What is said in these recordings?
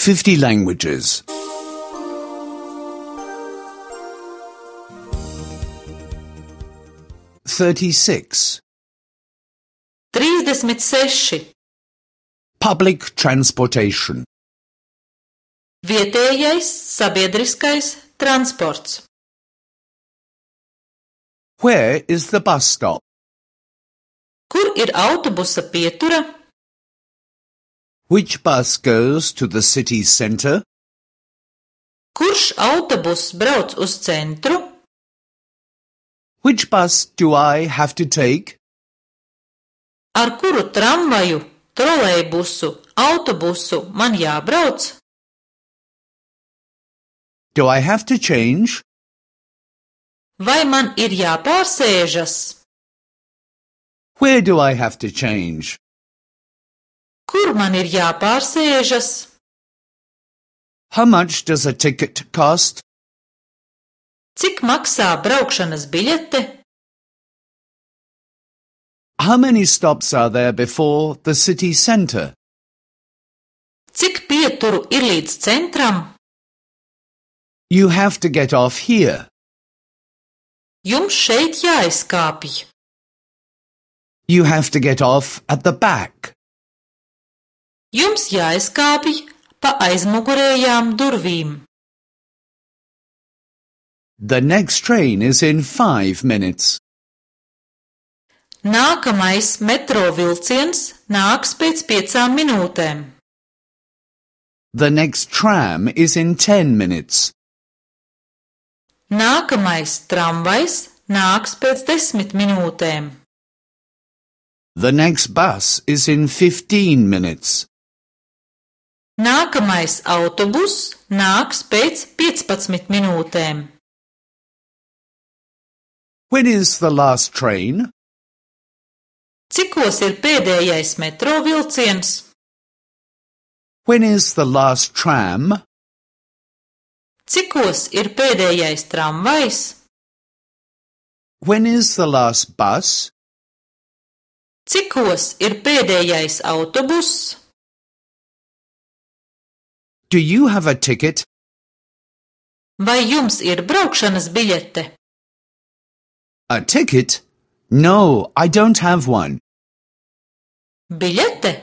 50 languages. 36. 36. Public transportation. Vietējais sabiedriskais transports. Where is the bus stop? Kur ir autobusa pietura? Which bus goes to the city centre? Kurš autobuss brauc uz centru? Which bus do I have to take? Ar kuru tramvaju, trolejbusu, autobusu man jābrauc? Do I have to change? Vai man ir jāpārsēžas? Where do I have to change? Kur man ir jāpārsēžas? How much does a ticket cost? Cik maksā braukšanas biļete? How many stops are there before the city centre? Cik pieturu ir līdz centram? You have to get off here. Jums šeit jāizkāpj. You have to get off at the back. Jums jāizkāpj pa aizmugurējām durvīm. The next train is in 5 minutes. Nākamais metro vilciens nāks pēc 5 minūtēm. The next tram is in 10 minutes. Nākamais tramvajs nāks pēc 10 minūtēm. The next bus is in 15 minutes. Nākamais autobuss nāks pēc 15 minūtēm. When is the last train? Cikos ir pēdējais metro vilciens? When is the last tram? Cikos ir pēdējais tramvajs? When is the last bus? Cikos ir pēdējais autobuss? Do you have a ticket? Vai jums ir braukšanas biļete? A ticket? No, I don't have one. Biļete?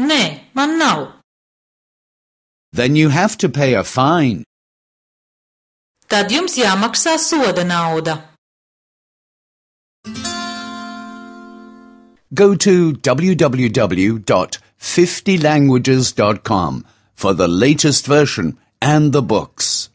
Nē, man nav. Then you have to pay a fine. Tad jums jāmaksā soda nauda. Go to www.50languages.com for the latest version and the books.